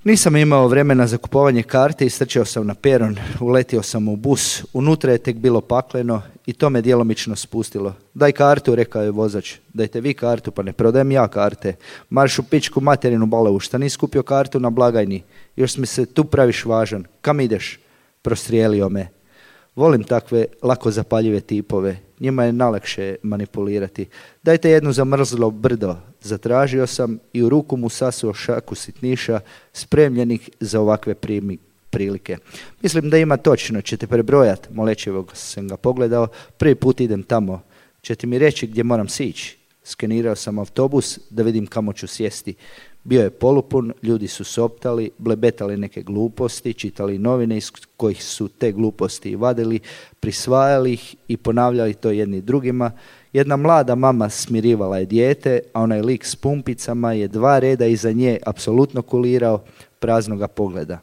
Nisam imao vremena za kupovanje karte i strčao sam na peron, uletio sam u bus, unutra je tek bilo pakleno i to me djelomično spustilo. Daj kartu, rekao je vozač. Dajte vi kartu, pa ne prodajem ja karte. Marš u pičku materinu balavu, šta nisi kupio kartu na blagajni? Još mi se tu praviš važan. Kam ideš? Prostrijelio me. Volim takve lako zapaljive tipove. Njima je najlakše manipulirati. Dajte jednu zamrzlo brdo. Zatražio sam i u ruku mu sasuo šaku sitniša spremljenih za ovakve prilike. Mislim da ima točno, ćete prebrojati. Molećevog sam ga pogledao. Prvi put idem tamo. Ćete mi reći gdje moram sići? Skenirao sam autobus da vidim kamo ću sjesti. Bio je polupun, ljudi su soptali, blebetali neke gluposti, čitali novine iz kojih su te gluposti vadili, prisvajali ih i ponavljali to jedni drugima. Jedna mlada mama smirivala je dijete, a onaj lik s pumpicama je 2 reda iza nje apsolutno kulirao praznoga pogleda.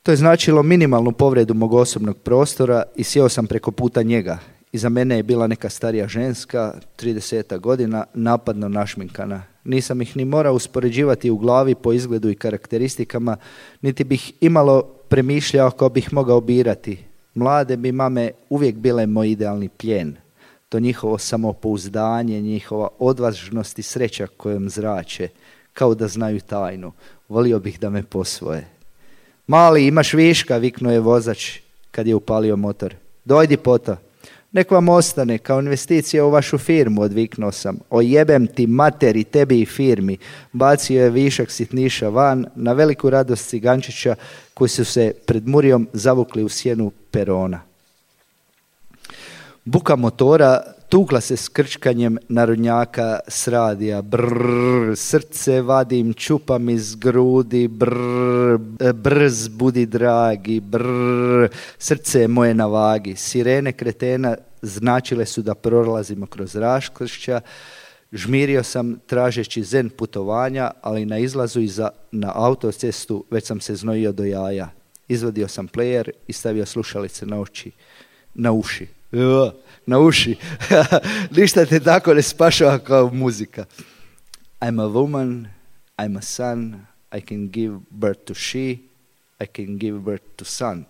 To je značilo minimalnu povredu mog osobnog prostora i sjeo sam preko puta njega. Iza mene je bila neka starija ženska, 30 godina, napadno našminkana. Nisam ih ni morao uspoređivati u glavi po izgledu i karakteristikama, niti bih imalo premišljao kao bih mogao birati. Mlade bi mame uvijek bile moj idealni plijen. To njihovo samopouzdanje, njihova odvažnost i sreća kojom zrače, kao da znaju tajnu. Volio bih da me posvoje. Mali, imaš viška, viknuo je vozač kad je upalio motor. Dojdi poto. Nek vam ostane, kao investicija u vašu firmu, odviknuo sam. Ojebem ti materi, tebi i firmi. Bacio je višak sitniša van, na veliku radost cigančića koji su se pred Murijom zavukli u sjenu perona. Buka motora tukla se s krčkanjem narodnjaka s radija. Brrr, srce vadim, čupam iz grudi, brrr, brz budi dragi, brrr, srce je moje na vagi. Sirene kretena značile su da prolazimo kroz raskršća. Žmirio sam tražeći zen putovanja, ali na izlazu na autocestu već sam se znojio do jaja. Izvadio sam player i stavio slušalice na uši. Ništa te tako ne spašava kao muzika. I'm a woman, I'm a son, I can give birth to she, I can give birth to son,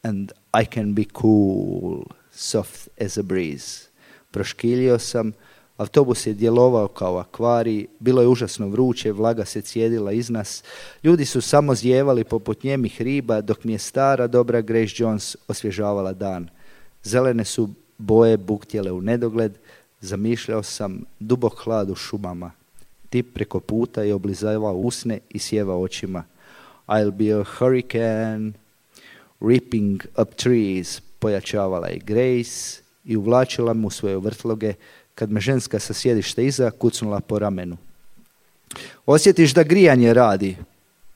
and I can be cool, soft as a breeze. Proškiljio sam, autobus je djelovao kao akvarij, bilo je užasno vruće, vlaga se cijedila iz nas, ljudi su samo zjevali poput njemih riba, dok mi je stara dobra Grace Jones osvježavala dan. Zelene su boje buktjele u nedogled, zamišljao sam dubok hlad u šumama. Tip preko puta je oblizavao usne i sjevao očima. I'll be a hurricane, ripping up trees, pojačavala je Grace i uvlačila mu svoje vrtloge, kad me ženska sa sjedišta iza kucnula po ramenu. Osjetiš da grijanje radi?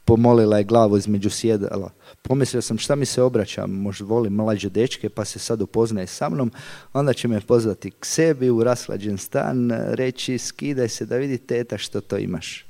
Pomolila je glavu između sjedala. Pomislio sam šta mi se obraća, možda volim mlađe dečke pa se sad upoznaje sa mnom, onda će me pozvati k sebi u raslađen stan, reći skidaj se da vidi teta što to imaš.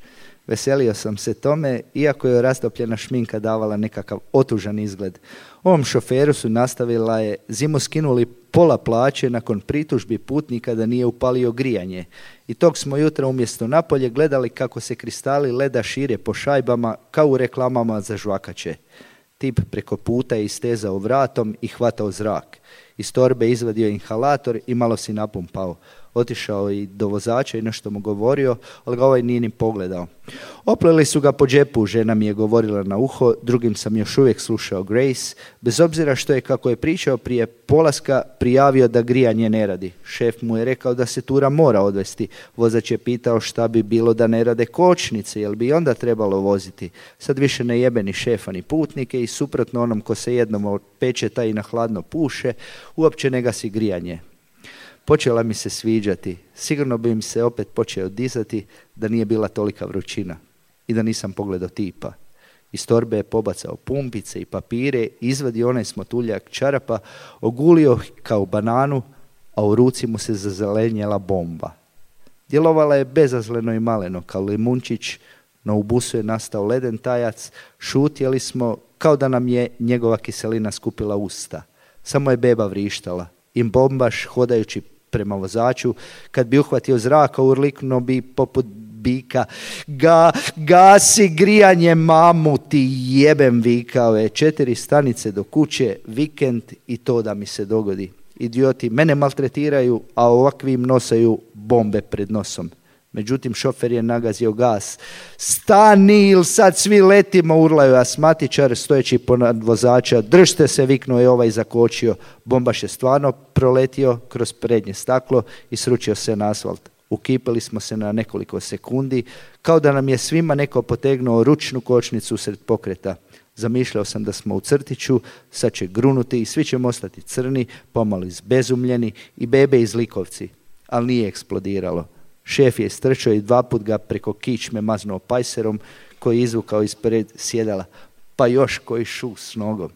Veselio sam se tome, iako je rastopljena šminka davala nekakav otužan izgled. Ovom šoferu su nastavila je zimu skinuli pola plaće nakon pritužbi putnika da nije upalio grijanje. I tog smo jutra umjesto napolje gledali kako se kristali leda šire po šajbama kao u reklamama za žvakače. Tip preko puta je istezao vratom i hvatao zrak. Iz torbe izvadio inhalator i malo si napumpao. Otišao i do vozača i nešto mu govorio, ali ga ovaj nije ni pogledao. Opleli su ga po džepu, žena mi je govorila na uho, drugim sam još uvijek slušao Grace, bez obzira što je, kako je pričao prije polaska, prijavio da grijanje ne radi. Šef mu je rekao da se tura mora odvesti. Vozač je pitao šta bi bilo da ne rade kočnice, jel bi onda trebalo voziti. Sad više ne jebe ni šefa ni putnike i suprotno onom ko se jednom od pečeta i na hladno puše, uopće ne gasi grijanje. Počela mi se sviđati. Sigurno bi im se opet počeo dizati da nije bila tolika vrućina i da nisam pogledao tipa. Iz torbe je pobacao pumpice i papire, izvadio onaj smotuljak čarapa, ogulio kao bananu, a u ruci mu se zazelenjela bomba. Djelovala je bezazleno i maleno kao limunčić, no u busu je nastao leden tajac, šutjeli smo kao da nam je njegova kiselina skupila usta. Samo je beba vrištala. I bombaš, hodajući prema vozaču, kad bi uhvatio zraka, urliknuo bi poput bika. Gasi grijanje, mamu ti jebem, vikao je. 4 stanice do kuće, vikend i to da mi se dogodi. Idioti mene maltretiraju, a ovakvim nosaju bombe pred nosom. Međutim, šofer je nagazio gas. Stani ili sad svi letimo, urlaju asmatičar stojeći ponad vozača. Držte se, viknuo je ovaj, zakočio. Bombaš je stvarno proletio kroz prednje staklo i sručio se na asfalt. Ukipili smo se na nekoliko sekundi, kao da nam je svima neko potegnuo ručnu kočnicu usred pokreta. Zamišljao sam da smo u crtiću, sad će grunuti i svi ćemo ostati crni, pomalo izbezumljeni i bebe iz Likovci. Ali nije eksplodiralo. Šef je istrčao i 2 put ga preko kičme maznuo pajserom koji je izvukao ispred sjedala. Pa još koji šu s nogom.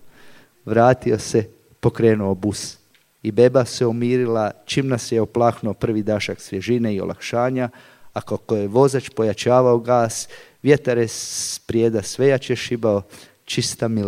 Vratio se, pokrenuo bus. I beba se umirila čim nas je oplahnuo prvi dašak svježine i olakšanja, a kako je vozač pojačavao gas, vjetar je sprijeda sve jače šibao, čista